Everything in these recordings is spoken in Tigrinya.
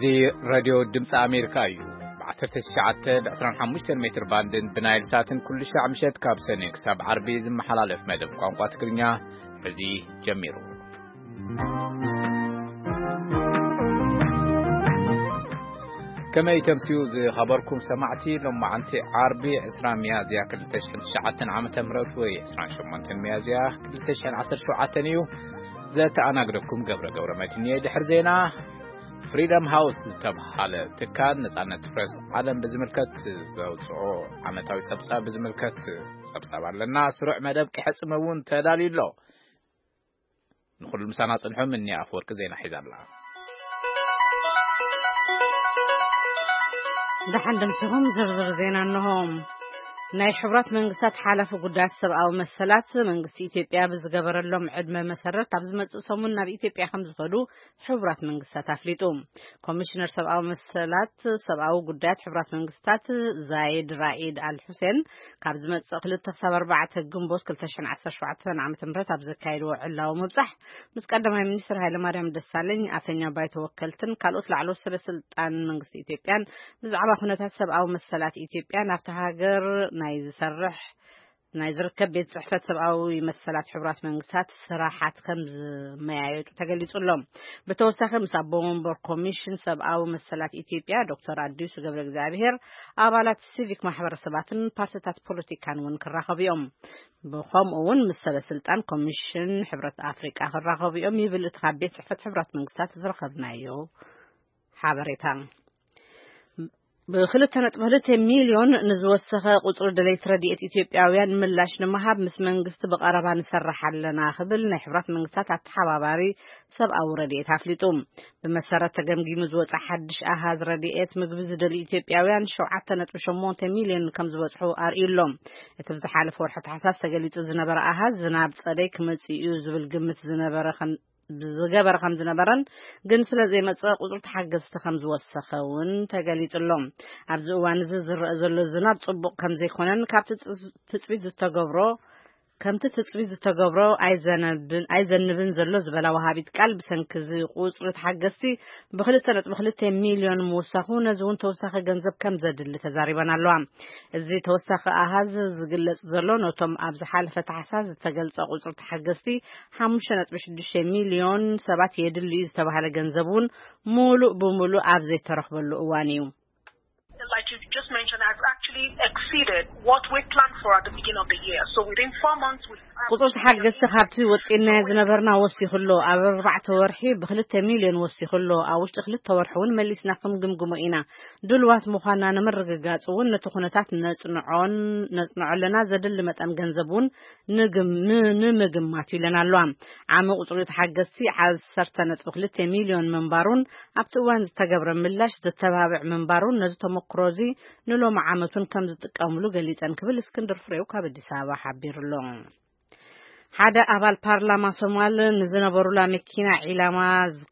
እዚ ሬድዮ ድምፂ ኣሜሪካ እዩ። ብ19 ብ25 ሜትር ባንድን ብናይል ሳትን ኩሉ ሻዕ ምሸት ካብ ሰኔ ክሳብ ዓርቢ ዝመሓላለፍ መደብ ቋንቋ ትግርኛ እዚ ጀሚሩ። ከመይ ተምስዩ ዝኸበርኩም ሰማዕቲ፣ ሎማዓንቲ ዓርቢ 20 ሚያዝያ 2009 ዓመተ ምህረት ወይ 28 ሚያዝያ 2017 እዩ። ዘተኣናግደኩም ገብረ ገብረ መድህን እየ። ድሕሪ ዜና፣ ፍሪደም ሃውስ ዝተብሃለ ትካል ነጻነት ፕረስ ዓለም ብዝምልከት ዘውፅኦ ዓመታዊ ጸብጻብ ብዝምልከት ጸብጻብ ኣለና። ስሩዕ መደብ ክሕጽም እውን ተዳልዩ ኣሎ። ንኹሉ ምሳና ጽንሑ። ምኒ ኣፈወርቂ ዜና ሒዛ ኣላ። ደሓን ደምሲኹም ዝርዝር ዜና እንሆ። ናይ ሕቡራት መንግስታት ሓላፊ ጉዳያት ሰብኣዊ መሰላት መንግስቲ ኢትዮጵያ ብዝገበረሎም ዕድመ መሰረት ኣብ ዝመጽእ ሰሙን ናብ ኢትዮጵያ ከም ዝኸዱ ሕቡራት መንግስታት ኣፍሊጡ። ኮሚሽነር ሰብኣዊ መሰላት ሰብኣዊ ጉዳያት ሕቡራት መንግስታት ዛይድ ራኢድ ኣል ሑሴን ካብ ዝመጽእ ክልተ ክሳብ ኣርባዕተ ግንቦት 2017 ዓ.ም ኣብ ዘካየድዎ ዕላዊ ምብጻሕ ምስ ቀዳማይ ሚኒስትር ሃይለማርያም ደሳለኝ፣ ኣፈኛ ባይቶ ወከልትን ካልኦት ላዕለዎት ሰበ ስልጣን መንግስቲ ኢትዮጵያን ብዛዕባ ኩነታት ሰብኣዊ መሰላት ኢትዮጵያ ናብታ ሃገር ናይ ዝሰርሕ ናይ ዝርከብ ቤት ጽሕፈት ሰብኣዊ መሰላት ሕቡራት መንግስታት ስራሓት ከም ዝመያየጡ ተገሊጹ ኣሎ። ብተወሳኺ ምስ ኣቦ ወንበር ኮሚሽን ሰብኣዊ መሰላት ኢትዮጵያ ዶክተር ኣዲሱ ገብረ እግዚኣብሔር፣ ኣባላት ሲቪክ ማሕበረሰባትን ፓርቲታት ፖለቲካን እውን ክራኸቡ እዮም። ብኸምኡ እውን ምስ ሰበ ስልጣን ኮሚሽን ሕብረት ኣፍሪቃ ክራኸቡ እዮም ይብል እቲ ካብ ቤት ጽሕፈት ሕቡራት መንግስታት ዝረኸብናዮ ሓበሬታ። ብ2.2 ሚልዮን ንዝወሰኸ ቁጽሪ ደለይቲ ረድኤት ኢትዮጵያውያን ምላሽ ንምሃብ ምስ መንግስቲ ብቐረባ ንሰርሕ ኣለና ክብል ናይ ሕብራት መንግስታት ኣተሓባባሪ ሰብኣዊ ረድኤት ኣፍሊጡ። ብመሰረት ተገምጊሙ ዝወጸ ሓድሽ ኣሃዝ ረድኤት፣ ምግቢ ዝደልዩ ኢትዮጵያውያን 7.8 ሚልዮን ከም ዝበጽሑ ኣርእዩ ኣሎ። እቲ ብዝሓለፈ ወርሒ ታሕሳስ ተገሊጹ ዝነበረ ኣሃዝ ዝናብ ጸደይ ክመጽእ እዩ ዝብል ግምት ዝነበረ ከም ዝገበረ ከም ዝነበረን ግን ስለ ዘይመጽእ ቁጽሪ ተሓገዝቲ ከም ዝወሰኸ እውን ተገሊጹ ኣሎ። ኣብዚ እዋን እዚ ዝረአ ዘሎ ዝናብ ጽቡቕ ከም ዘይኮነን ካብቲ ትጽ-፣ ትጽቢት ዝተገብሮ፣ ከምቲ ትጽቢት ዝተገብሮ ኣይዘነብን፣ ኣይዘንብን ዘሎ ዝበላ ወሃቢት ቃል፣ ብሰንኪ እዚ ቁጽሪ ተሓገዝቲ ብ2.2 ሚልዮን ምውሳኹ ነዚ እውን ተወሳኺ ገንዘብ ከም ዘድሊ ተዛሪበን ኣለዋ። እዚ ተወሳኺ ኣሃዝ ዝግለጽ ዘሎ ነቶም ኣብ ዝሓለፈ ታሕሳስ ዝተገልጸ ቁጽሪ ተሓገዝቲ 5.6 ሚልዮን ሰባት የድሊ እዩ ዝተባህለ ገንዘብ እውን ሙሉእ ብሙሉእ ኣብ ዘይተረኽበሉ እዋን እዩ። Like you just mentioned, has actually exceeded what we planned for at the beginning of the year. So within four months, we ቁጽሪ ተሓገዝቲ ካብቲ ወጺናዮ ዝነበርና ወሲኹ ኣሎ። ኣብ ኣርባዕተ ወርሒ ብ2 ሚልዮን ወሲኹ ኣሎ። ኣብ ውሽጢ ክልተ ወርሒ እውን መሊስና ክንግምግሞ ኢና። ድልዋት ምዃንና ንምርግጋጽ እውን ነቲ ኩነታት ነጽንዖን፣ ነጽንዖ ኣለና። ዘድሊ መጠን ገንዘብ እውን ንግም-፣ ን-፣ ንምግማት ኢለን ኣለዋ። ዓሚ ቁጽሪ ተሓገዝቲ 10.2 ሚልዮን ምንባሩን ኣብቲ እዋን ዝተገብረ ምላሽ ዘተባብዕ ምንባሩን ነዚ ተመክሮ እዚ ንሎሚ ዓመት እውን ከም ዝጥቀምሉ ገሊጸን ክብል እስክንድር ፍሬው ካብ ኣዲስ ኣበባ ሓቢሩ ኣሎ። ሓደ ኣባል ፓርላማ ሶማል ንዝነበሩላ መኪና ዒላማ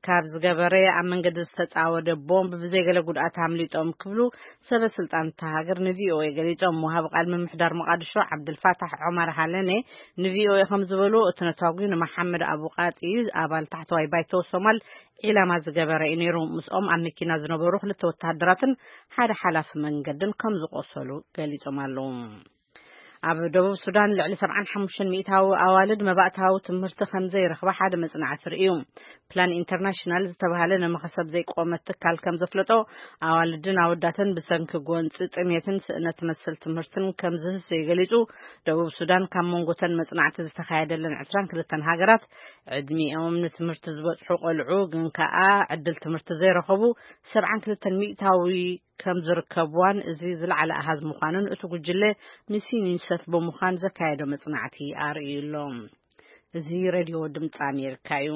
ካብ ዝገበረ ኣብ መንገዲ ዝተጻወደ ቦምብ ብዘይገለ ጉድኣት ኣምሊጦም ክብሉ ሰበ ስልጣን እታ ሃገር ንቪኦኤ ገሊጾም። ወሃቢ ቃል ምምሕዳር መቃድሾ ዓብዱልፋታሕ ዑመር ሃለኔ ንቪኦኤ ከም ዝበሉ፣ እቲ ነታጒ ንመሓመድ ኣቡቃጢ ኣባል ታሕተዋይ ባይቶ ሶማል ዒላማ ዝገበረ እዩ ነይሩ። ምስኦም ኣብ መኪና ዝነበሩ ክልተ ወተሃደራትን ሓደ ሓላፊ መንገድን ከም ዝቆሰሉ ገሊጾም ኣለዉ። ኣብ ደቡብ ሱዳን ልዕሊ 75% ኣዋልድ መባእታዊ ትምህርቲ ከም ዘይረኽባ ሓደ መጽናዕቲ ርእዩ። ፕላን ኢንተርናሽናል ዝተባህለ ንመኸሰብ ዘይቆመ ትካል ከም ዘፍለጦ፣ ኣዋልድን ኣወዳትን ብሰንኪ ጎንፂ፣ ጥሜትን ስእነት መሰል ትምህርትን ከም ዝህሰዩ ገሊጹ። ደቡብ ሱዳን ካብ መንጎተን መጽናዕቲ ዝተኻየደለን 22 ሃገራት ዕድሚኦም ንትምህርቲ ዝበጽሑ ቆልዑ ግን ከኣ ዕድል ትምህርቲ ዘይረኸቡ 72% ከም ዝርከብዋን እዚ ዝለዓለ ኣሃዝ ምዃኑን እቲ ጉጅለ ምስ ዩኒሰፍ ብምዃን ዘካየዶ መጽናዕቲ ኣርእዩ ኣሎ። እዚ ሬድዮ ድምፂ ኣሜሪካ እዩ።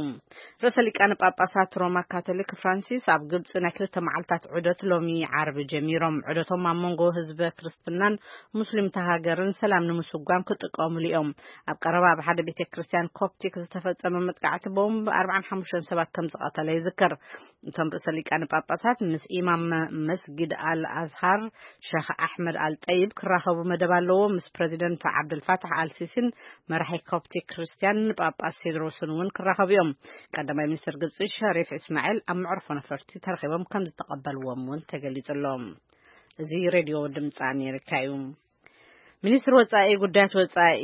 ርእሰ ሊቃነ ጳጳሳት ሮማ ካቶሊክ ፍራንሲስ ኣብ ግብፂ ናይ ክልተ መዓልታት ዑደት ሎሚ ዓርቢ ጀሚሮም። ዑደቶም ኣብ መንጎ ህዝበ ክርስትናን ሙስሊም እታ ሃገርን ሰላም ንምስጓም ክጥቀሙሉ እዮም። ኣብ ቀረባ ኣብ ሓደ ቤተ ክርስቲያን ኮፕቲክ ዝተፈጸመ መጥቃዕቲ ቦምብ 45 ሰባት ከም ዝቐተለ ይዝከር። እቶም ርእሰ ሊቃነ ጳጳሳት ምስ ኢማም መስጊድ ኣል ኣዝሃር ሸኽ ኣሕመድ ኣል ጠይብ ክራኸቡ መደብ ኣለዎ። ምስ ፕረዚደንት ዓብደልፋታሕ ኣል ሲሲን መራሒ ኮፕቲክ ክርስቲያን ጳጳስ ቴድሮስን እውን ክራኸቡ እዮም። ቀዳማይ ሚኒስትር ግብፂ ሸሪፍ እስማኤል ኣብ መዕርፎ ነፈርቲ ተረኺቦም ከም ዝተቐበልዎም እውን ተገሊጹ ኣሎ። እዚ ሬድዮ ድምፂ ኣሜሪካ እዩ። ሚኒስትር ወፃኢ ጉዳያት ወፃኢ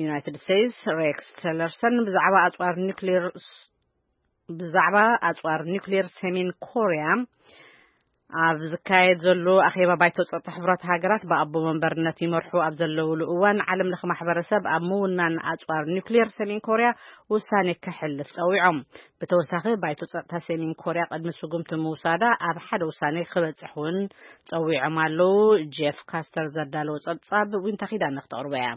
ዩናይትድ ስቴትስ ሬክስ ቲለርሰን ብዛዕባ ኣፅዋር ኒውክሌር ብዛዕባ ኣፅዋር ኒውክሌር ሰሜን ኮርያ ኣብ ዝካየድ ዘሎ ኣኼባ ባይቶ ጸጥታ ሕቡራት ሃገራት ብኣቦ መንበርነት ይመርሑ ኣብ ዘለውሉ እዋን፣ ዓለም ለኸ ማሕበረሰብ ኣብ ምውናን ኣጽዋር ኒውክሌር ሰሜን ኮርያ ውሳኔ ከሕልፍ ጸዊዖም። ብተወሳኺ፣ ባይቶ ጸጥታ ሰሜን ኮርያ ቅድሚ ስጉምቲ ምውሳዳ ኣብ ሓደ ውሳኔ ክበጽሕ እውን ጸዊዖም ኣለዉ። ጄፍ ካስተር ዘዳለዎ ጸብጻብ ዊንታ ኪዳነ ክተቕርቦ እያ።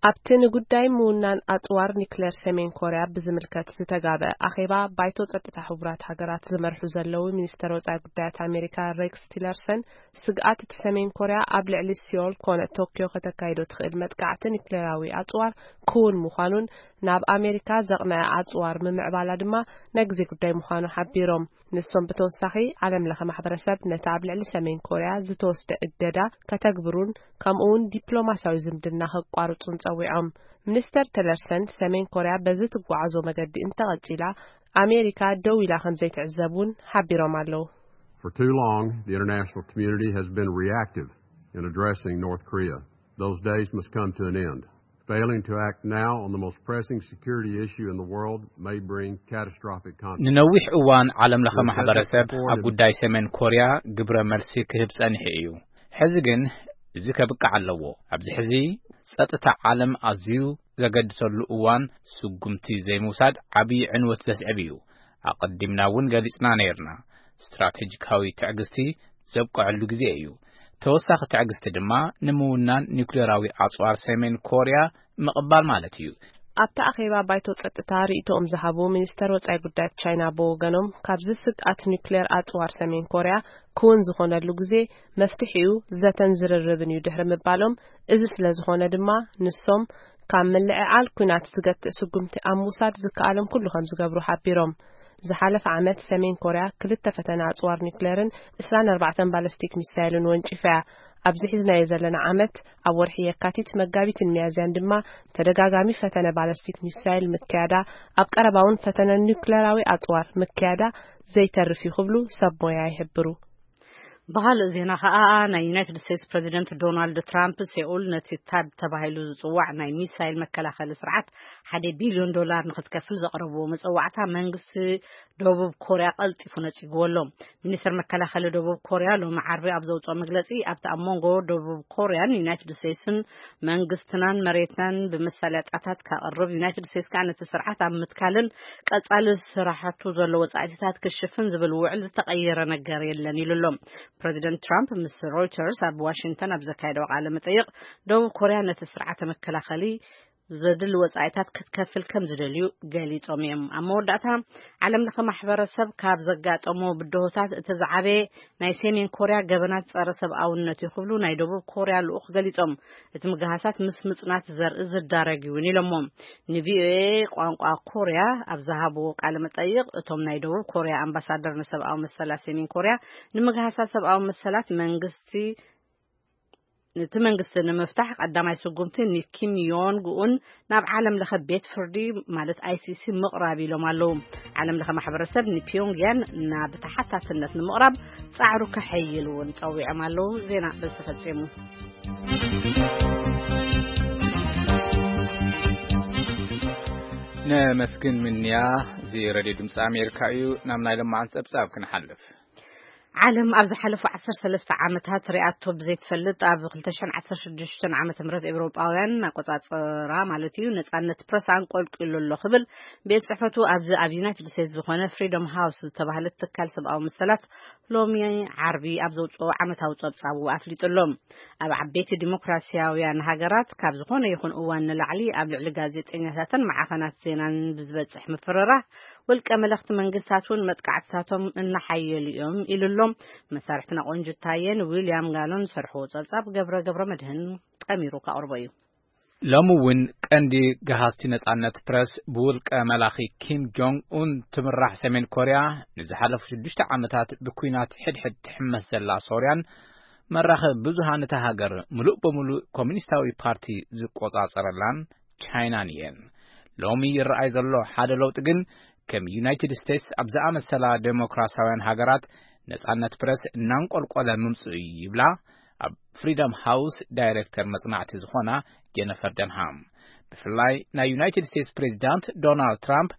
ኣብቲ ንጉዳይ ምውናን ኣጽዋር ኒክሌር ሰሜን ኮርያ ብዝምልከት ዝተጋበ ኣኼባ፣ ባይቶ ጸጥታ ሕቡራት ሃገራት ዝመርሑ ዘለዉ ሚኒስተር ወጻኢ ጉዳያት ኣሜሪካ ሬክስ ቲለርሰን፣ ስግኣት እቲ ሰሜን ኮርያ ኣብ ልዕሊ ሲዮል ኮነ ቶክዮ ከተካይዶ ትኽእል መጥቃዕቲ ኒክሌራዊ ኣጽዋር ክውን ምዃኑን፣ ናብ ኣሜሪካ ዘቕነዐ ኣጽዋር ምምዕባላ ድማ ናይ ግዜ ጉዳይ ምዃኑ ሓቢሮም። ንሶም ብተወሳኺ፣ ዓለም ለኸ ማሕበረሰብ ነቲ ኣብ ልዕሊ ሰሜን ኮርያ ዝተወስደ እገዳ ከተግብሩን፣ ከምኡ እውን ዲፕሎማስያዊ ዝምድና ከቋርጹን ጸዊዖም። ሚኒስተር ቲለርሰን፣ ሰሜን ኮርያ በዚ ትጓዓዞ መገዲ እንተቐጺላ፣ ኣሜሪካ ደው ኢላ ከም ዘይትዕዘብ እውን ሓቢሮም ኣለዉ። For too long, the international community has been reactive in addressing North Korea. Those days must come to an end. Failing to act now on the most pressing security issue in the world may bring catastrophic consequences. ንነዊሕ እዋን ዓለም ለኸ ማሕበረሰብ ኣብ ጉዳይ ሰሜን ኮርያ ግብረ መልሲ ክህብ ጸኒሑ እዩ። ሕዚ ግን እዚ ከብቅዕ ኣለዎ። ኣብዚ ሕዚ ጸጥታ ዓለም ኣዝዩ ዘገድሰሉ እዋን፣ ስጉምቲ ዘይምውሳድ ዓብዪ ዕንወት ዘስዕብ እዩ። ኣቐዲምና እውን ገሊጽና ነይርና። ስትራቴጂካዊ ትዕግስቲ ዘብቅዐሉ ግዜ እዩ። ተወሳኺ ትዕግስቲ ድማ ንምውናን ኒውክሌራዊ ኣጽዋር ሰሜን ኮርያ ምቕባል ማለት እዩ። ኣብቲ ኣኼባ ባይቶ ጸጥታ ርእይቶኦም ዝሃቡ ሚኒስተር ወጻኢ ጉዳያት ቻይና ብወገኖም፣ ካብዚ ስግኣት ኒውክሌር ኣጽዋር ሰሜን ኮርያ ክውን ዝኾነሉ ግዜ፣ መፍትሒኡ ዘተን ዝርርብን እዩ ድሕሪ ምባሎም፣ እዚ ስለ ዝኾነ ድማ ንሶም ካብ ምልዕዓል ኲናት ዝገትእ ስጉምቲ ኣብ ምውሳድ ዝከኣሎም ኩሉ ከም ዝገብሩ ሓቢሮም። ዝሓለፈ ዓመት ሰሜን ኮርያ ክልተ ፈተነ ኣጽዋር ኒክሌርን ዕስራን ኣርባዕተን ባለስቲክ ሚሳይልን ወንጪፋ እያ። ኣብዚ ሒዝናዮ ዘለና ዓመት፣ ኣብ ወርሒ የካቲት፣ መጋቢትን ሚያዝያን ድማ ተደጋጋሚ ፈተነ ባለስቲክ ሚሳይል ምክያዳ፣ ኣብ ቀረባ እውን ፈተነ ኒክሌራዊ ኣጽዋር ምክያዳ ዘይተርፍ እዩ ክብሉ ሰብ ሞያ ይሕብሩ። ብኻልእ ዜና ኸኣ፣ ናይ ዩናይትድ ስቴትስ ፕረዚደንት ዶናልድ ትራምፕ፣ ሴኡል ነቲ ታድ ተባሂሉ ዝጽዋዕ ናይ ሚሳይል መከላኸሊ ስርዓት ሓደ ቢልዮን ዶላር ንኽትከፍል ዘቕረብዎ መጸዋዕታ መንግስቲ ደቡብ ኮርያ ቀልጢፉ ነጺግዎ ኣሎ። ሚኒስተር መከላኸሊ ደቡብ ኮርያ ሎሚ ዓርቢ ኣብ ዘውጽኦ መግለጺ፣ ኣብቲ ኣብ መንጎ ደቡብ ኮርያን ዩናይትድ ስቴትስን መንግስትናን መሬትናን ብመሳለጥያታት ከቕርብ ዩናይትድ ስቴትስ ከኣ ነቲ ስርዓት ኣብ ምትካልን ቀጻሊ ስራሕቱ ዘሎ ወጻኢታት ክሽፍን ዝብል ውዕል ዝተቐየረ ነገር የለን ኢሉ ኣሎ። ፕረዚደንት ትራምፕ ምስ ሮይተርስ ኣብ ዋሽንግተን ኣብ ዘካየደዎ ቃለ መጠይቕ፣ ደቡብ ኮርያ ነቲ ስርዓተ መከላኸሊ ዘድሊ ወጻኢታት ክትከፍል ከም ዝደልዩ ገሊጾም እዮም። ኣብ መወዳእታ፣ ዓለም ለኸ ማሕበረሰብ ካብ ዘጋጠሞ ብድሆታት እቲ ዝዓበየ ናይ ሰሜን ኮርያ ገበናት ጸረ ሰብኣውነት እዩ ክብሉ ናይ ደቡብ ኮርያ ልኡኽ ገሊጾም። እቲ ምግሃሳት ምስ ምጽናት ዘርኢ ዝዳረግ እውን ኢሎሞ። ንቪኦኤ ቋንቋ ኮርያ ኣብ ዝሃብዎ ቃለ መጠይቕ፣ እቶም ናይ ደቡብ ኮርያ ኣምባሳደር ንሰብኣዊ መሰላት ሰሜን ኮርያ፣ ንምግሃሳት ሰብኣዊ መሰላት መንግስቲ ነቲ መንግስቲ ንምፍታሕ ቀዳማይ ስጉምቲ ንኪም ዮንግ ኡን ናብ ዓለም ለኸ ቤት ፍርዲ ማለት ኣይሲሲ ምቕራብ ኢሎም ኣለዉ። ዓለም ለኸ ማሕበረሰብ ንፒዮንግያን ናብ ተሓታትነት ንምቕራብ ጻዕሩ ከሐይል እውን ጸዊዖም ኣለዉ። ዜና በዚ ተፈጺሙ። ነመስግን ምንያ። እዚ ሬድዮ ድምፂ ኣሜሪካ እዩ። ናብ ናይ ለማዓን ፀብፃብ ክንሓልፍ። ዓለም ኣብ ዝሓለፉ ዓሰርተ ሰለስተ ዓመታት ሪኣቶ ብዘይትፈልጥ ኣብ ክልተ ሽሕን ዓሰርተ ሽዱሽተን ዓመተ ምህረት ኤውሮጳውያን ኣቆጻጽራ ማለት እዩ፣ ነጻነት ፕረስ ኣንቆልቂሉ ኣሎ ክብል ቤት ጽሕፈቱ ኣብዚ ኣብ ዩናይትድ ስቴትስ ዝኾነ ፍሪደም ሃውስ ዝተባህለ ትካል ሰብኣዊ መሰላት ሎሚ ዓርቢ ኣብ ዘውጽኦ ዓመታዊ ጸብጻቡ ኣፍሊጡ ኣሎ። ኣብ ዓበይቲ ዲሞክራሲያውያን ሃገራት ካብ ዝኾነ ይኹን እዋን ንላዕሊ ኣብ ልዕሊ ጋዜጠኛታትን መዓኸናት ዜናን ብዝበጽሕ ምፍርራህ፣ ውልቀ መለኽቲ መንግስታት እውን መጥቃዕትታቶም እናሓየሉ እዮም ኢሉ ኣሎ። መሳርሕትና ቆንጅታየን ዊልያም ጋሎን ዝሰርሕዎ ጸብጻብ ገብረ ገብረ መድህን ጠሚሩ ከቕርቦ እዩ። ሎሚ እውን ቀንዲ ገሃዝቲ ነጻነት ፕረስ ብውልቀ መላኺ ኪም ጆንግ ኡን ትምራሕ ሰሜን ኮርያ ንዝሓለፉ ሽዱሽተ ዓመታት ብኲናት ሕድሕድ ትሕመስ ዘላ ሶርያን መራኸቢ ብዙሃን እታ ሃገር ምሉእ ብምሉእ ኮሚኒስታዊ ፓርቲ ዝቆጻጸረላን ቻይናን እየን። ሎሚ ይረኣይ ዘሎ ሓደ ለውጢ ግን፣ ከም ዩናይትድ ስቴትስ ኣብ ዝኣመሰላ ዴሞክራሲያውያን ሃገራት ነጻነት ፕረስ እናንቆልቆለ ምምጽኡ እዩ ይብላ ኣብ ፍሪደም ሃውስ ዳይሬክተር መጽናዕቲ ዝኾና ጀነፈር ደንሃም። ብፍላይ ናይ ዩናይትድ ስቴትስ ፕሬዚዳንት ዶናልድ ትራምፕ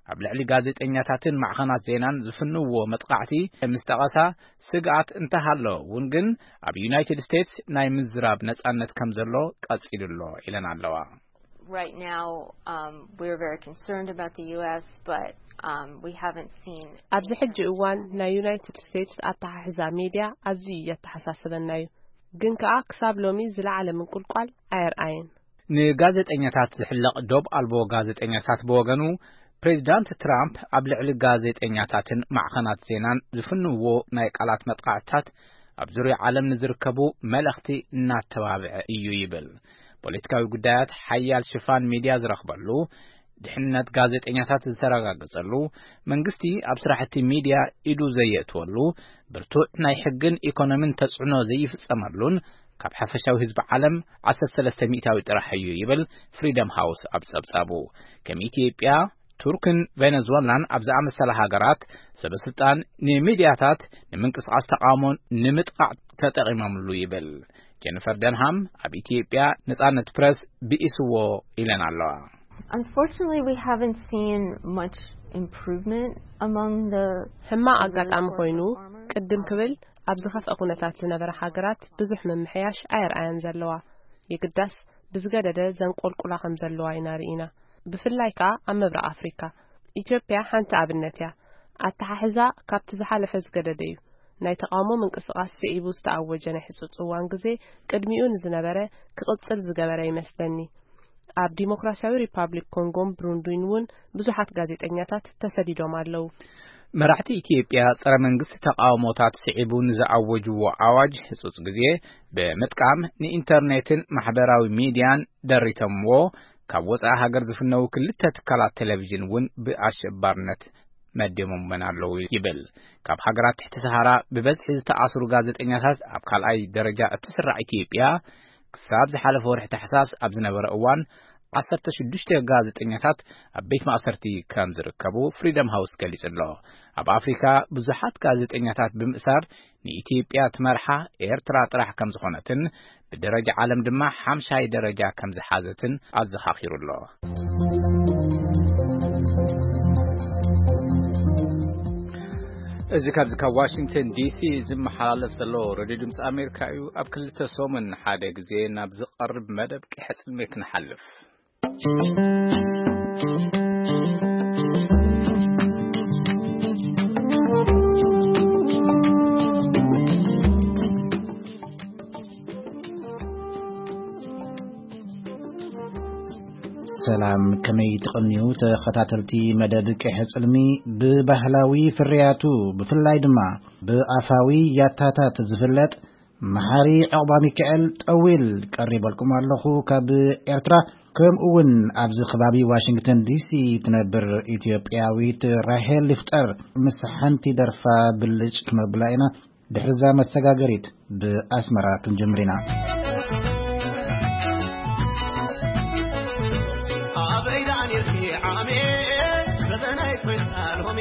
ኣብ ልዕሊ ጋዜጠኛታትን ማዕኸናት ዜናን ዝፍንውዎ መጥቃዕቲ ምስ ጠቐሳ፣ ስግኣት እንተሃሎ እውን ግን ኣብ ዩናይትድ ስቴትስ ናይ ምዝራብ ነጻነት ከም ዘሎ ቀጺሉ ኣሎ ኢለን ኣለዋ። Right now, um, we're very concerned about the U S, but, um, we haven't seen ኣብዚ ሕጂ እዋን ናይ ዩናይትድ ስቴትስ ኣተሓሕዛ ሜድያ ኣዝዩ እየተሓሳስበና እዩ፣ ግን ከኣ ክሳብ ሎሚ ዝለዓለ ምንቁልቋል ኣየርኣየን። ንጋዜጠኛታት ዝሕለቕ ዶብ ኣልቦ ጋዜጠኛታት ብወገኑ፣ ፕሬዚዳንት ትራምፕ ኣብ ልዕሊ ጋዜጠኛታትን ማዕኸናት ዜናን ዝፍንዎ ናይ ቃላት መጥቃዕትታት ኣብ ዙርያ ዓለም ንዝርከቡ መልእኽቲ እናተባብዐ እዩ ይብል። ፖለቲካዊ ጉዳያት ሓያል ሽፋን ሚድያ ዝረኽበሉ፣ ድሕነት ጋዜጠኛታት ዝተረጋገጸሉ፣ መንግስቲ ኣብ ስራሕቲ ሚድያ ኢዱ ዘየእትወሉ፣ ብርቱዕ ናይ ሕግን ኢኮኖሚን ተጽዕኖ ዘይፍጸመሉን ካብ ሓፈሻዊ ህዝቢ ዓለም ዓሰርተ ሰለስተ ሚእታዊ ጥራሕ እዩ ይብል ፍሪደም ሃውስ ኣብ ጸብጻቡ። ከም ኢትዮጵያ፣ ቱርክን ቬነዙዌላን ኣብ ዝኣመሰላ ሃገራት፣ ሰበስልጣን ንሚድያታት ንምንቅስቓስ ተቓውሞ ንምጥቓዕ ተጠቒሞምሉ ይብል። ጀኒፈር ደንሃም ኣብ ኢትዮጵያ ነጻነት ፕረስ ብኢስዎ ኢለን ኣለዋ። Unfortunately, we haven't seen much improvement among the ሕማቕ ኣጋጣሚ ኮይኑ፣ ቅድም ክብል ኣብ ዝኸፍአ ኩነታት ዝነበረ ሃገራት ብዙሕ ምምሕያሽ ኣየርኣያን ዘለዋ። የግዳስ ብዝገደደ ዘንቆልቁላ ከም ዘለዋ ኢና ርኢና። ብፍላይ ከኣ ኣብ ምብራቕ ኣፍሪካ። ኢትዮጵያ ሓንቲ ኣብነት እያ። ኣተሓሕዛ ካብቲ ዝሓለፈ ዝገደደ እዩ። ናይ ተቓውሞ ምንቅስቓስ ስዒቡ ዝተኣወጀ ናይ ሕጹጽ እዋን ግዜ ቅድሚኡ ንዝነበረ ክቕጽል ዝገበረ ይመስለኒ። ኣብ ዲሞክራሲያዊ ሪፓብሊክ ኮንጎን ብሩንዲን እውን ብዙሓት ጋዜጠኛታት ተሰዲዶም ኣለዉ። መራሕቲ ኢትዮጵያ ጸረ መንግስቲ ተቓውሞታት ስዒቡ ንዝኣወጅዎ ኣዋጅ ህጹጽ ግዜ ብምጥቃም ንኢንተርኔትን ማሕበራዊ ሚድያን ደሪተምዎ፣ ካብ ወጻኢ ሃገር ዝፍነዉ ክልተ ትካላት ቴሌቪዥን እውን ብኣሸባርነት መዲሞመን ኣለዉ ይብል። ካብ ሃገራት ትሕቲ ሰሃራ ብበዝሒ ዝተኣስሩ ጋዜጠኛታት ኣብ ካልኣይ ደረጃ እትስራዕ ኢትዮጵያ፣ ክሳብ ዝሓለፈ ወርሒ ታሕሳስ ኣብ ዝነበረ እዋን፣ ዓሰርተ ሽዱሽተ ጋዜጠኛታት ኣብ ቤት ማእሰርቲ ከም ዝርከቡ ፍሪደም ሃውስ ገሊጹ ኣሎ። ኣብ ኣፍሪካ ብዙሓት ጋዜጠኛታት ብምእሳር ንኢትዮጵያ ትመርሓ ኤርትራ ጥራሕ ከም ዝኾነትን ብደረጃ ዓለም ድማ ሓምሻይ ደረጃ ከም ዝሓዘትን ኣዘኻኺሩ ኣሎ። እዚ ካብዚ ካብ ዋሽንግተን ዲሲ ዝመሓላለፍ ዘሎ ሬድዮ ድምፂ ኣሜሪካ እዩ። ኣብ ክልተ ሰሙን ሓደ ግዜ ናብ ዝቐርብ መደብ ቅሐ ጽልሜ ክንሓልፍ። ሰላም፣ ከመይ ትቕንዩ ተኸታተልቲ መደብ ቅሐ ጽልሚ? ብባህላዊ ፍርያቱ፣ ብፍላይ ድማ ብኣፋዊ ያታታት ዝፍለጥ መሓሪ ዕቑባ ሚካኤል ጠዊል ቀሪበልኩም ኣለኹ ካብ ኤርትራ። ከምኡ እውን ኣብዚ ከባቢ ዋሽንግተን ዲሲ ትነብር ኢትዮጵያዊት ራሄል ይፍጠር ምስ ሓንቲ ደርፋ ብልጭ ክነብላ ኢና። ድሕርዛ መሰጋገሪት ብኣስመራ ክንጅምር ኢና። ኣበይ ደኣ ኔርኪ ዓሜ፣ በበናይ ኮይና ሎሜ።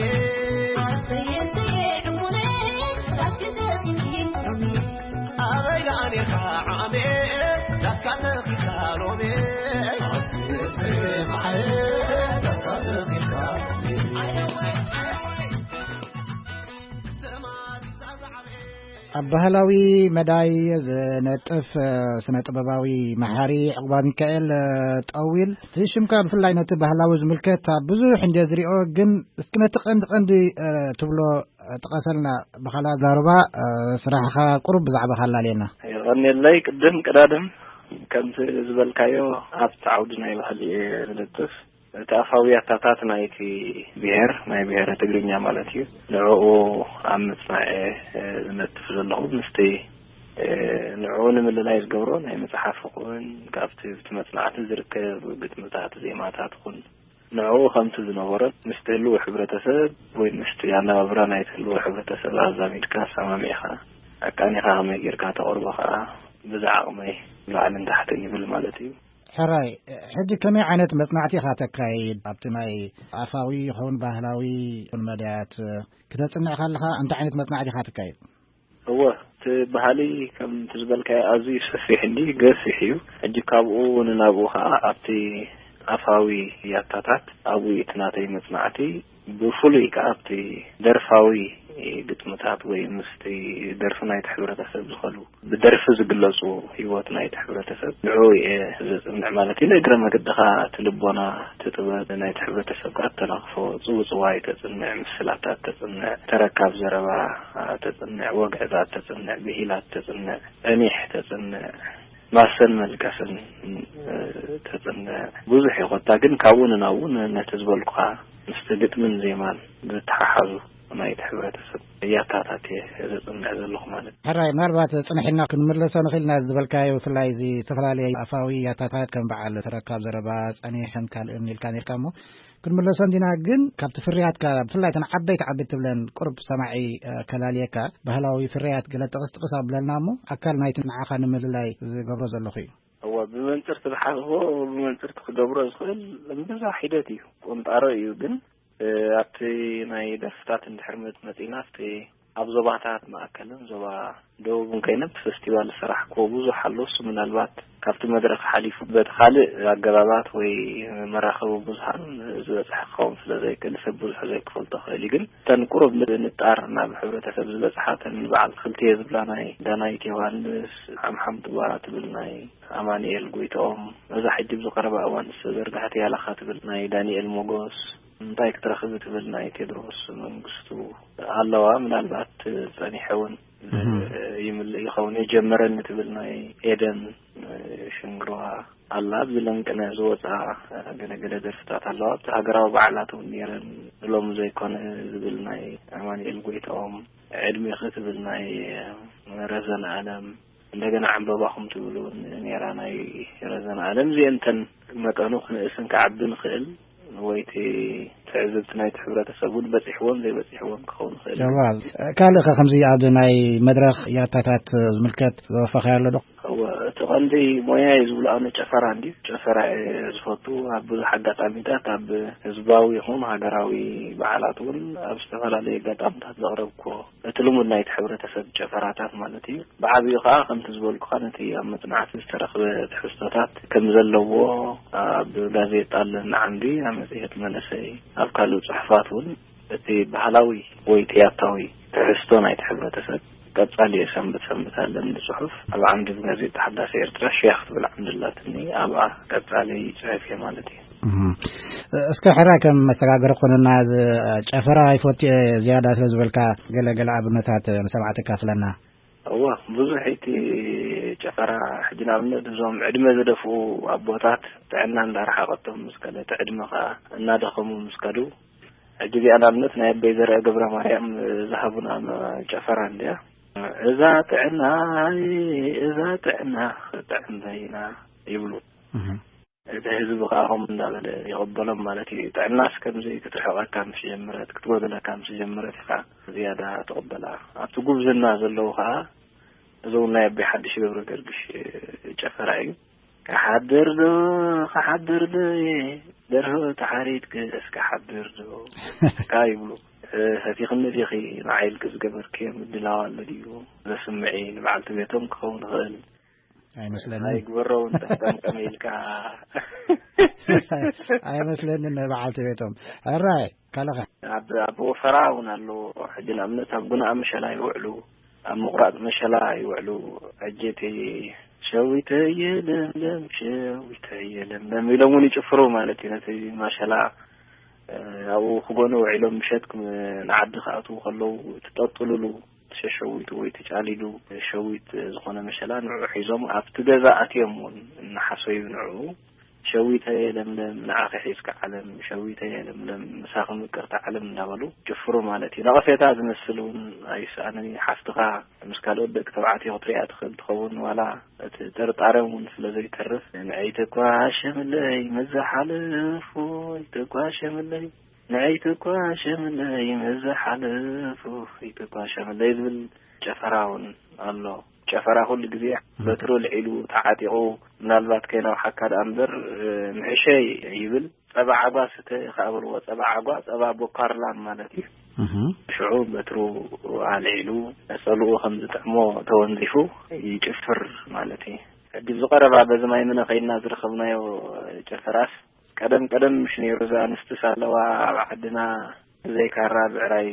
ኣበይ ደኣ ኔርካ ዓሜ፣ ዳስካ ተኺልካ ሎሜ። ኣብ ባህላዊ መዳይ ዝነጥፍ፣ እ፣ ስነ ጥበባዊ መሓሪ ዕቑባ ሚካኤል፣ እ፣ ጠዊል፣ እቲ ሽምካ ብፍላይ ነቲ ባህላዊ ዝምልከት ኣብ ብዙሕ እንድየ ዝሪኦ፣ ግን እስኪ ነቲ ቀንዲ ቀንዲ፣ እ፣ ትብሎ፣ እ፣ ጥቀሰልና። ብኻልእ ኣዛርባ፣ እ፣ ስራሕኻ ቁሩብ ብዛዕባኻ ኣላልየና። የቐንየለይ። ቅድም ቅዳድም ከምቲ ዝበልካዮ ኣብቲ ዓውዲ ናይ ባህሊ እየ ዝነጥፍ። እቲ ኣፋዊ ኣታታት ናይቲ ብሄር፣ ናይ ብሄረ ትግርኛ ማለት እዩ፣ ንዕኡ ኣብ ምጽናዕ እየ፣ እ፣ ዝነጥፍ ዘለኹ። ምስቲ፣ እ፣ ንዕኡ ንምልላይ ዝገብሮ ናይ መጽሓፍ ኹን፣ ካብቲ ብቲ መጽናዕቲ ዝርከብ ግጥምታት፣ ዜማታት ኹን፣ ንዕኡ ከምቲ ዝነበሮ ምስቲ ህልው ሕብረተሰብ ወይ ምስቲ ኣነባብራ ናይቲ ህልው ሕብረተሰብ ኣዛሚድካ፣ ኣሰማሚዕኻ፣ ኣቃኒኻ ከመይ ጌርካ ተቕርቦ ከኣ ብዛ ዓቕመይ ላዕልን ታሕትን ይብል ማለት እዩ። ሕራይ፣ ሕጂ ከመይ ዓይነት መጽናዕቲ ኢኻ ተካይድ? ኣብቲ ናይ ኣፋዊ ይኹን ባህላዊ ይኹን መዳያት ክተጽንዕ ከለኻ እንታይ ዓይነት መጽናዕቲ ኢኻ ተካይድ? እወ፣ እቲ ባህሊ ከም እቲ ዝበልካዮ ኣዝዩ ሰፊሕ እንዲ ገፊሕ እዩ። ሕጂ ካብኡ ንናብኡ ኸዓ ኣብቲ ኣፋዊ ያታታት ኣብኡ እቲ ናተይ መጽናዕቲ ብፍሉይ ከኣ ኣብቲ ደርፋዊ ግጥምታት ወይ ምስቲ ደርፊ ናይቲ ሕብረተሰብ ዝኸሉ ብደርፊ ዝግለጹ ህይወት ናይቲ ሕብረተሰብ ንዕኡ እየ ዘጽንዕ ማለት እዩ። ንእግረ መገድኻ እቲ ልቦና፣ እቲ ጥበብ ናይቲ ሕብረተሰብ ከኣ ተናኽፎ፣ ጽውጽዋይ ተጽንዕ፣ ምስላታት ተጽንዕ፣ ተረካብ ዘረባ ተጽንዕ፣ ወግዕታት ተጽንዕ፣ ብሂላት ተጽንዕ፣ ጸኒሕ ተጽንዕ፣ ማሰን መልቀስን ተጽንዕ። ብዙሕ እዩ ኮታ፣ ግን ካብኡ ንናብኡ ን-፣ ነቲ ዝበልኩኻ ምስቲ ግጥምን ዜማን ዝተሓሓዙ ናይቲ ሕብረተሰብ ያታታት እየ ዘጽንዕ ዘለኹ ማለት እዩ። ሕራይ፣ ምናልባት ጽንሕ ኢልና ክንምለሶ ንኽእል ኢና። ዝበልካዮ ብፍላይ እዚ ዝተፈላለየ ኣፋዊ ያታታት ከም በዓል ተረካብ ዘረባ፣ ጸኒሕን ካልእን ኢልካ ነርካ እሞ ክንምለሶ እንዲና። ግን ካብቲ ፍርያትካ ብፍላይ እተን ዓበይቲ ዓበይቲ ትብለን ቁሩብ ሰማዒ፣ እ፣ ከላልየካ፣ ባህላዊ ፍርያት ገለ ጥቕስ ጥቕስ ኣብለልና እሞ ኣካል ናይቲ ንዓኻ ንምልላይ ዝገብሮ ዘለኹ እዩ። እወ፣ ብመንጽር ትብሓትዎ፣ ብመንጽር ክትገብሮ ዝኽእል እምብዛ ሒደት እዩ። ቁንጣሮ እዩ ግን፣ እ፣ ኣብቲ ናይ ደርፍታት እንድሕር መጽ-፣ መጺና ኣብቲ ኣብ ዞባታት ማእከልን ዞባ ደቡብን ኮይነ ብፈስቲቫል ዝሰራሕክዎ ብዙሕ ኣሎ። እሱ ምናልባት ካብቲ መድረኽ ሓሊፉ በቲ ካልእ ኣገባባት ወይ መራኸቢ ብዙሃን ዝበጽሐ ክኸውን ስለ ዘይክእል ሰብ ብዙሕ ዘይክፈልጦ ክእል እዩ። ግን እተን ቁሩብ ን-፣ ንጣር ናብ ሕብረተሰብ ዝበጽሓ እተን በዓል ክልቴ ዝብላ ናይ ዳናይት ዮሃንስ፣ ሓምሓም ጥባ ትብል ናይ ኣማኑኤል ጎይትኦም፣ እዛ ሕጂ ብዝቐረባ እዋን ዝተዘርግሐት ያላኻ ትብል ናይ ዳንኤል ሞጎስ፣ እንታይ ክትረኽቢ ትብል ናይ ቴድሮስ መንግስቱ ኣለዋ። ምናልባት ጸኒሐ እውን እህ። ይምልእ ይኸውን። የጀመረኒ ትብል ናይ ኤደን ሽንግርዋ ኣላ። ኣብዚ ለንቅነ ዝወፃ ገለገለ ደርፍታት ኣለዋ። ኣብቲ ሃገራዊ በዓላት እውን ነይረን። ሎሚ ዘይኮነ ዝብል ናይ ኣማኑኤል ጎይትኦም፣ ዕድሜኺ ትብል ናይ ረዘነ ኣለም፣ እንደገና ዕምበባኹም ትብል እውን ነይራ ናይ ረዘነ ኣለም። እዚአን እተን መጠኑ ክንእስን ክዓቢ ንኽእል ወይ እቲ ትዕዝብቲ ናይቲ ሕብረተሰብ እውን በፂሕዎም ዘይበፂሕዎም ክኸውን ይኽእል እዩ። ጀማል፣ ካልእ ኸ ከምዚ ኣብ ናይ መድረኽ ያታታት ዝምልከት ዘወፈኻዮ ኣሎ ዶ? እወ፣ እቲ ቐንዲ ሞያይ ዝብሎ ኣነ ጨፈራ እንድዩ። ጨፈራ እየ ዝፈቱ። ኣብ ብዙሕ ኣጋጣሚታት ኣብ ህዝባዊ ይኹን ሃገራዊ በዓላት እውን ኣብ ዝተፈላለዩ ኣጋጣሚታት ዘቕረብኩዎ እቲ ልሙድ ናይቲ ሕብረተሰብ ጨፈራታት ማለት እዩ። ብዓብዩ ኸዓ ከምቲ ዝበልኩኻ ነቲ ኣብ መጽናዕቲ ዝተረኽበ ትሕዝቶታት ከም ዘለዎ ኣብ ጋዜጣ ኣለና ዓምዲ፣ ኣብ መጽሔት መንእሰይ፣ ኣብ ካልእ ጽሑፋት እውን እቲ ባህላዊ ወይ ጥያታዊ ትሕዝቶ ናይቲ ሕብረተሰብ ቀጻሊ እየ ሰንበት ሰንበት ኣለኒ ጽሑፍ። ኣብ ዓምዲ ብጋዜጣ ሓዳስ ኤርትራ ሽያ ክትብል ዓምዲ ኣላትኒ፣ ኣብኣ ቀጻሊ ይጽሕፍ እየ ማለት እዩ። እህ። እስከ ሕራይ ከም መሰጋገሪ ኮነና፣ እዚ ጨፈራ ይፈቱ እየ ዝያዳ ስለ ዝበልካ ገለ ገለ ኣብነታት ንሰማዕቲ ካፍለና። እወ፣ ብዙሕ እቲ ጨፈራ ሕጂ ንኣብነት እዞም ዕድመ ዝደፍኡ ኣቦታት ጥዕና እንዳረሓቐቶም ምስ ከደ፣ እቲ ዕድመ ኸኣ እናደኸሙ ምስ ከዱ፣ ሕጂ እዚኣ ንኣብነት ናይ ኣቦይ ዘርአ ገብረ ማርያም ዝሃቡና ጨፈራ እንድያ። እዛ ጥዕና፣ እዛ ጥዕና ክጥዕም በይና ይብሉ። እህ። እቲ ህዝቢ ኸዓ ከምኡ እንዳበለ ይቕበሎም ማለት እዩ። ጥዕናስ ከምዚ ክትርሕቐካ ምስ ጀመረት፣ ክትጎድለካ ምስ ጀመረት ኢኻ ዝያዳ ትቕበላ። ኣብቲ ጉብዝና ዘለዉ ኸዓ እዚ እውን ናይ ኣቦይ ሓድሽ ገብረ ገርግሽ ጨፈራ እዩ። ክሓድር ዶ፣ ክሓድር ዶ እየ፣ ደርሆ ተሓሪድክስ ክሓድር ዶ? ካ ይብሉ። እ፣ ሰቲኽኒ ዲኺ ንዓይ ኢልኪ ዝገበርክዮ ምድላው ኣሎ ድዩ? ዘስምዒ ንበዓልቲ ቤቶም ክኸውን ይኽእል። ኣይመስለንን። ኣይግበሮ እውን ጠምጠምጠም ኢልካ። ኣይመስለንን ናይ በዓልቲ ቤቶም። ሕራይ፣ ካልእ ኸ? ኣብ፣ ኣብ ወፈራ እውን ኣለዎ። ሕጂ ንኣብነት ኣብ ጉንኣ መሸላ ይውዕሉ፣ ኣብ ምቑራጽ መሸላ ይውዕሉ። ሕጂ እቲ ሸዊተየ ለምለም፣ ሸዊተየ ለምለም ኢሎም እውን ይጭፍሩ ማለት እዩ። ነቲ መሸላ፣ እ፣ ኣብኡ ክጎኑ ውዒሎም ምሸት ክም-፣ ንዓዲ ክኣትዉ ከለዉ እቲ ጠጥሉሉ፣ እቲ ሸሸዊቱ ወይ እቲ ጫሊሉ ሸዊት ዝኾነ መሸላ ንዕኡ ሒዞም ኣብቲ ገዛ ኣትዮም እውን እናሓሰዩ ንዕኡ ሸዊተየ ለምለም፣ ንዓኺ ሒዝካ ዓለም፣ ሸዊተየ ለምለም፣ ምሳኺ ምቅርቲ ዓለም እንዳበሉ ጭፍሩ ማለት እዩ። ነቐፌታ ዝመስል እውን ኣይስኣንን እዩ። ሓፍትኻ ምስ ካልኦት ደቂ ተባዕትዮ ክትሪኣ ትኽእል ትኸውን፣ ዋላ እቲ ጥርጣረ እውን ስለ ዘይተርፍ፣ ንዐይ ተኳሸምለይ መዘሓልፉ፣ ተኳሸምለይ፣ ንዐይ ተኳሸምለይ መዘሓልፉ፣ ተኳሸምለይ ዝብል ጨፈራ እውን ኣሎ። ጨፈራ ኩሉ ግዜ በትሩ ልዒሉ ተዓጢቑ፣ ምናልባት ከይናውሓካ ደኣ እምበር፣ እ፣ ምሕሸይ ይብል። ጸባ ዓጓ ስተ ከኣ በልዎ። ጸባ ዓጓ፣ ጸባ ቦካርላን ማለት እዩ። እህ። ሽዑ በትሩ ኣልዒሉ፣ ጸልኡ ከም ዝጥዕሞ ተወንዚፉ ይጭፍር ማለት እዩ። ሕጂ ኣብዚ ቀረባ በዚ ማይ ምነ ከይድና ዝረኸብናዮ ጭፍራስ፣ ቀደም ቀደም ምሽ ነይሩ፣ እዛ ኣንስትስ ኣለዋ ኣብ ዓድና፣ ብዘይ ካራ ብዕራይ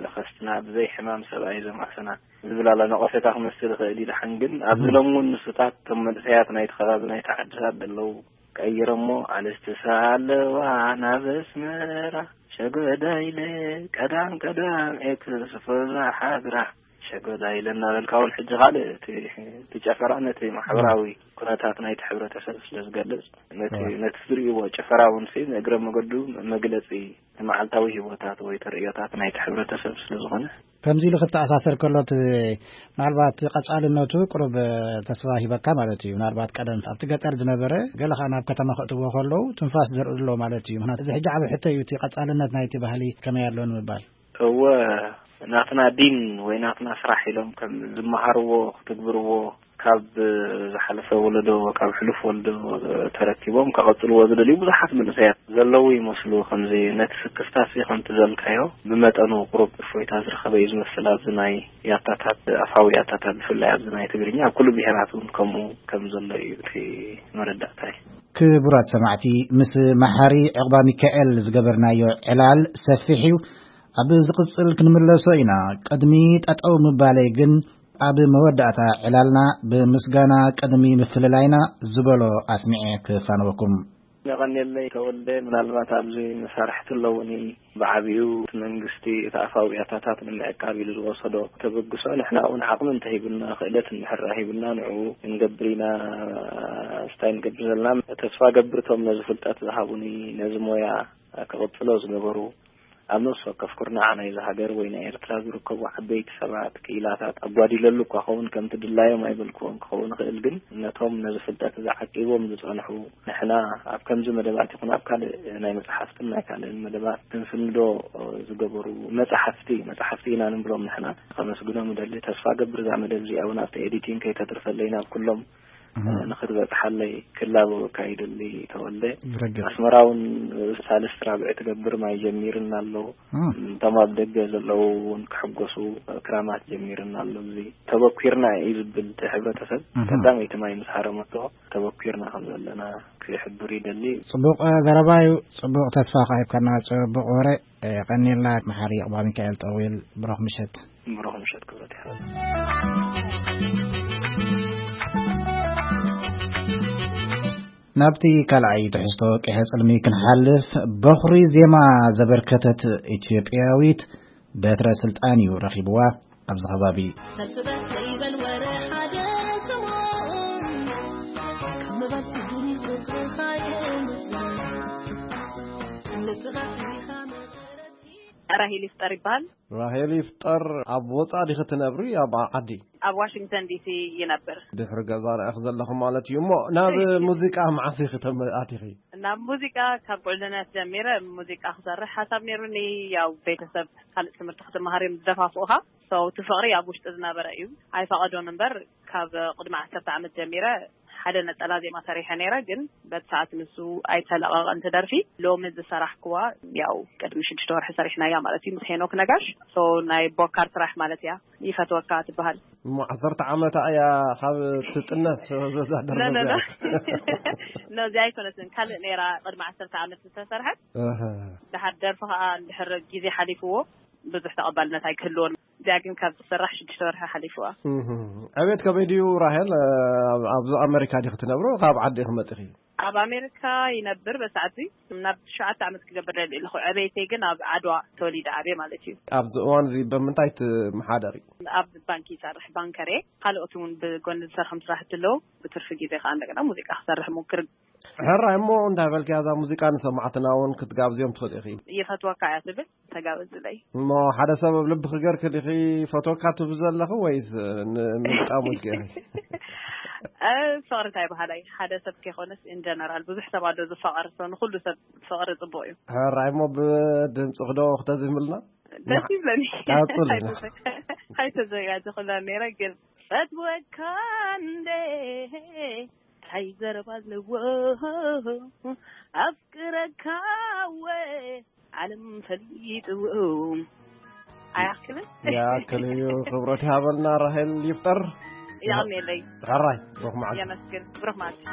ዘኸስትና፣ ብዘይ ሕማም ሰብኣይ ዘማስና ዝብል ኣሎ። ነቐፌታ ክመስል ይኽእል እዩ። ደሓን ግን ኣብዚ ሎሚ እውን ንሱታት፣ እቶም መንእሰያት ናይቲ ከባቢ፣ ናይቲ ዓድታት ዘለዉ ቀይሮሞ፣ ኣንስትስ ኣለዋ ናብ ኣስመራ፣ ሸጎዳ ኢለ ቀዳም ቀዳም ኤክስፖ ዝሓድራ፣ ሸጎዳ ኢለ እናበልካ እውን ሕጂ ካልእ እቲ፣ እቲ ጨፈራ ነቲ ማሕበራዊ ኩነታት ናይቲ ሕብረተሰብ ስለ ዝገልጽ፣ ነቲ፣ እዋ። ነቲ ዝርእይዎ ጭፈራ እውን ሲ ንእግረ መገዱ መግለጺ መዓልታዊ ህይወታት ወይ ተርእዮታት ናይቲ ሕብረተሰብ ስለ ዝኾነ። ከምዚ ኢሉ ክተኣሳሰር ከሎ፣ እቲ ምናልባት ቀጻልነቱ ቁሩብ ተስፋ ሂበካ ማለት እዩ። ምናልባት ቀደም ኣብቲ ገጠር ዝነበረ፣ ገለ ኸኣ ናብ ከተማ ከእትዎ ከለዉ ትንፋስ ዘርእሉ ኣሎ ማለት እዩ። ምኽንያቱ እዚ ሕጂ ዓቢ ሕቶ እዩ፣ እቲ ቀጻልነት ናይቲ ባህሊ ከመይ ኣሎ ንምባል። እወ፣ ናትና ዲን ወይ ናትና ስራሕ ኢሎም ከም ዝመሃርዎ ክትግብርዎ፣ ካብ ዝሓለፈ ወለዶ፣ ካብ ሕሉፍ ወለዶ ተረኪቦም ከቐጽልዎ ዝደልዩ ብዙሓት መንእሰያት ዘለዉ ይመስሉ። ከምዚ ነቲ ስክፍታሲ ከምቲ ዘልካዮ ብመጠኑ ቁሩብ እፎይታ ዝረኸበ እዩ ዝመስል። ኣብዚ ናይ ያታታት፣ ኣፋዊ ያታታት ብፍላይ ኣብዚ ናይ ትግርኛ፣ ኣብ ኩሉ ብሄራት እውን ከምኡ ከም ዘሎ እዩ እቲ መረዳእታይ። ክቡራት ሰማዕቲ፣ ምስ መሓሪ ዕቑባ ሚካኤል ዝገበርናዮ ዕላል ሰፊሕ እዩ። ኣብ ዝቕጽል ክንምለሶ ኢና። ቅድሚ ጠጠው ምባለይ ግን፣ ኣብ መወዳእታ ዕላልና ብምስጋና ቅድሚ ምፍልላይና ዝበሎ ኣስሚዐ ክፋንወኩም። የቐንየለይ ተወልደ፣ ምናልባት ኣብዚ መሳርሕቲ ኣለዉኒ። ብዓቢኡ እቲ መንግስቲ እቲ ኣፋዊ ያታታት ንምዕቃብ ኢሉ ዝወሰዶ ተበግሶ፣ ንሕና እውን ዓቕሚ እንተሂቡና፣ ክእለት እንድሕር ሂቡና፣ ንዕኡ ክንገብር ኢና። ስታይ ንገብር ዘለና፣ ተስፋ ገብር እቶም ነዚ ፍልጠት ዝሃቡኒ፣ ነዚ ሞያ ክቕጽሎ ዝገበሩ፣ ኣብ ነፍሲ ወከፍ ኩርናዕ ናይዚ ሃገር ወይ ናይ ኤርትራ ዝርከቡ ዓበይቲ ሰባት፣ ክኢላታት ኣጓዲለሉ እኳ ኸውን፣ ከምቲ ድላዮም ኣይበልክዎን ክኸውን ይኽእል፣ ግን ነቶም ነዚ ፍልጠት እዚ ዓቂቦም ዝጸንሑ፣ ንሕና ኣብ ከምዚ መደባት ይኹን ኣብ ካልእ ናይ መጽሓፍትን ናይ ካልእን መደባት ክንስንዶ ዝገበሩ መጽሓፍቲ፣ መጽሓፍቲ ኢና ንብሎም ንሕና፣ ከመስግኖም እደሊ። ተስፋ ገብር እዛ መደብ እዚኣ እውን ኣብቲ ኤዲቲንግ ከይተትርፈለይ ናብ ኩሎም እህ። ንኽትበጽሓለይ ክላበወካ ይደሊ ተወልደ። ብረግጽ። ኣስመራ እውን ሳልስቲ ራብዒ ትገብር ማይ ጀሚርና ኣሎ። እም። እቶም ኣብ ደገ ዘለዉ እውን ክሕጎሱ ክራማት ጀሚርና ኣሎ። እዚ ተበኲርና እዩ ዝብል እቲ ሕብረተሰብ እህ። ቀዳመይቲ ማይ ምስ ሃረመቶ ተበኲርና ከም ዘለና ክሕብር ይደሊ። ጽቡቕ ዘረባ እዩ። ጽቡቕ ተስፋ ከኣ ሂብካና፣ ጽቡቕ ወረ። የቐንየልና መሓሪ ዕቑባ ሚካኤል ጠዊል። ብሩኽ ምሸት። ብሩኽ ምሸት ክብረት ይሃበልና። ናብቲ ካልኣይ ትሕዝቶ ቂሐ ጽልሚ ክንሓልፍ፣ በኹሪ ዜማ ዘበርከተት ኢትዮጵያዊት በትረ ስልጣን እዩ ረኺብዋ ኣብዚ ከባቢ። ሰብስበት ዘይበል ወረ ሓደ ስምዖን፣ ካብ ምባል ትግርኛ ቁጽርኻ የምጽእ። ንስኻ ኢኻ መቐረት። ራሄል ይፍጠር ይበሃል። ራሄል ይፍጠር፣ ኣብ ወጻኢ ዲኺ ትነብሪ ኣብ ዓዲ? ኣብ ዋሽንግተን ዲሲ ይነብር። ድሕሪ ገዛ ርኣኺ ዘለኹ ማለት እዩ። እሞ ናብ እይ። ሙዚቃ መዓስ ኢኺ ተመ-፣ ኣቲኺ? ናብ ሙዚቃ ካብ ቁልዕነት ጀሚረ ሙዚቃ ክሰርሕ ሓሳብ ነይሩኒ። ያው ቤተሰብ ካልእ ትምህርቲ ክትመሃር እዮም ዝደፋፍኡኻ። So፣ እቲ ፍቕሪ ኣብ ውሽጢ ዝነበረ እዩ። ኣይፈቐዶን እምበር፣ ካብ ቅድሚ ዓሰርተ ዓመት ጀሚረ ሓደ ነጠላ ዜማ ሰሪሐ ነይረ፣ ግን በቲ ሰዓት ንሱ ኣይተለቐቐን እቲ ደርፊ። ሎሚ ዝሰራሕክዋ፣ ያው ቅድሚ ሽዱሽተ ወርሒ ሰሪሕናያ ማለት እዩ፣ ምስ ሄኖክ ነጋሽ። So፣ ናይ ቦካር ስራሕ ማለት እያ። ይፈትወካ ትበሃል። እሞ ዓሰርተ ዓመታ እያ ካብ ትጥነስ ዘዛ ደርፊ ነ፣ ነ፣ ነ። እዚኣ? ነ፣ እዚኣ ኣይኮነትን። ካልእ ነይራ ቅድሚ ዓሰርተ ዓመት ዝተሰርሐት። ኣሃ። ድሓር ደርፊ ከኣ እንድሕር ግዜ ሓሊፍዎ ብዙሕ ተቐባልነት ኣይክህልዎን። እዚኣ ግን ካብ ዝሰራሕ ሽዱሽተ ወርሒ ሓሊፍዋ። እህ። ዕቤት ከመይ ድዩ ራሄል? ኣብ፣ ኣብዚ ኣመሪካ ዲኺ ትነብሩ? ካብ ዓዲ ኢኺ መጺኺ? ኣብ ኣሜሪካ ይነብር በሰዓት እዚ። ናብ ትሽዓተ ዓመት ክገብር ደልየ ኣለኹ። ዕቤተይ ግን ኣብ ዓድዋ ተወሊደ ዓብየ ማለት እዩ። ኣብዚ እዋን እዚ ብምንታይ ትመሓደሪ? ኣብ ባንክ ይሰርሕ፣ ባንከር እየ። ካልኦት እውን ብጎኒ ዝሰርሖም ስራሕቲ ኣለዉ። ብትርፊ ግዜ ከዓ እንደገና ሙዚቃ ክሰርሕ እሞክር። ሕራይ እሞ እንታይ በልክያ፣ እዛ ሙዚቃ ንሰማዕትና እውን ክትጋብዝዮም ትኽእሊ ኢኺ። ይፈትወካ እያ ትብል፣ ተጋበዝለይ። እሞ ሓደ ሰብ ኣብ ልብኺ ገርኪ ዲኺ ፈትወካ ትብል ዘለኺ ወይስ ን-፣ ንምግጣሙ ኢልኪ ኢኺ? እ፣ ፍቕሪ እንታይ በሃላይ፣ ሓደ ሰብ ከይኮነስ in general ብዙሕ ሰብ ኣሎ ዝፋቐር፣ so ንኹሉ ሰብ ፍቕሪ ጽቡቕ እዩ። ሕራይ እሞ ብድምጽኺ ዶ ክተዝምልና? ደስ ይብለኒ። ቀጽሊ። ኣይተዘ-፣ ኣይተዘጋጀኹላን ነይረ ግን ፈትወካ እንዴ እንታይ ዘረባ ኣለዎ ኣፍቅረካ ወ ዓለም ፈሊጥዎ ኣይኣክልን። ይኣክል እዩ። ክብረት ይሃበልና ራሄል ይፍጠር። የቐንየለይ። ሕራይ ብሩኽ መዓልቲ። የመስግን። ብሩኽ መዓልቲ።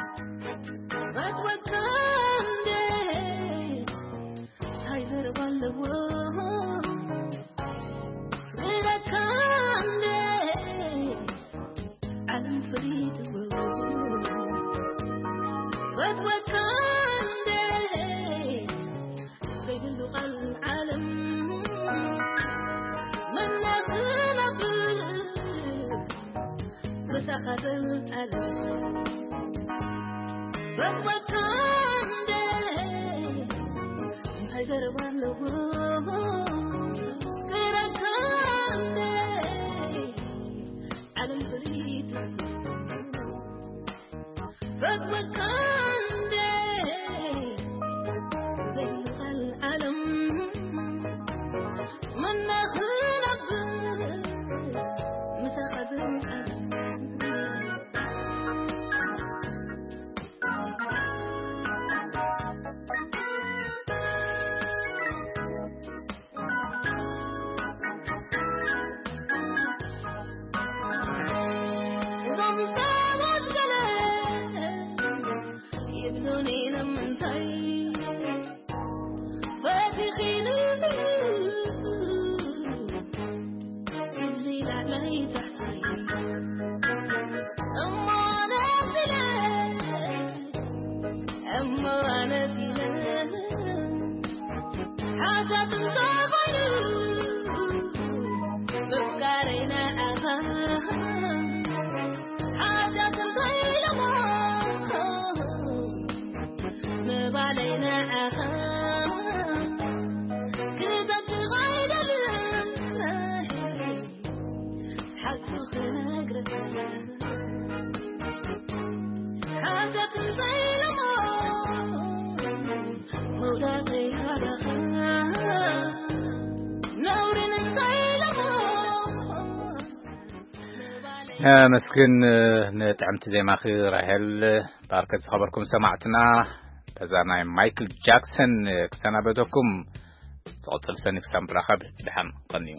ነመስግን ንጥዕምቲ ዜማኺ ራሄል። ባርከት ዝኸበርኩም ሰማዕትና፣ በዛ ናይ ማይክል ጃክሰን ክሰናበተኩም። ዝቐጽል ሰኒ ክሳብ ንራኸብ ድሓን ቀንዩ።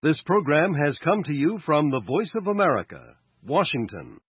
This program has come to you from the Voice of America, Washington.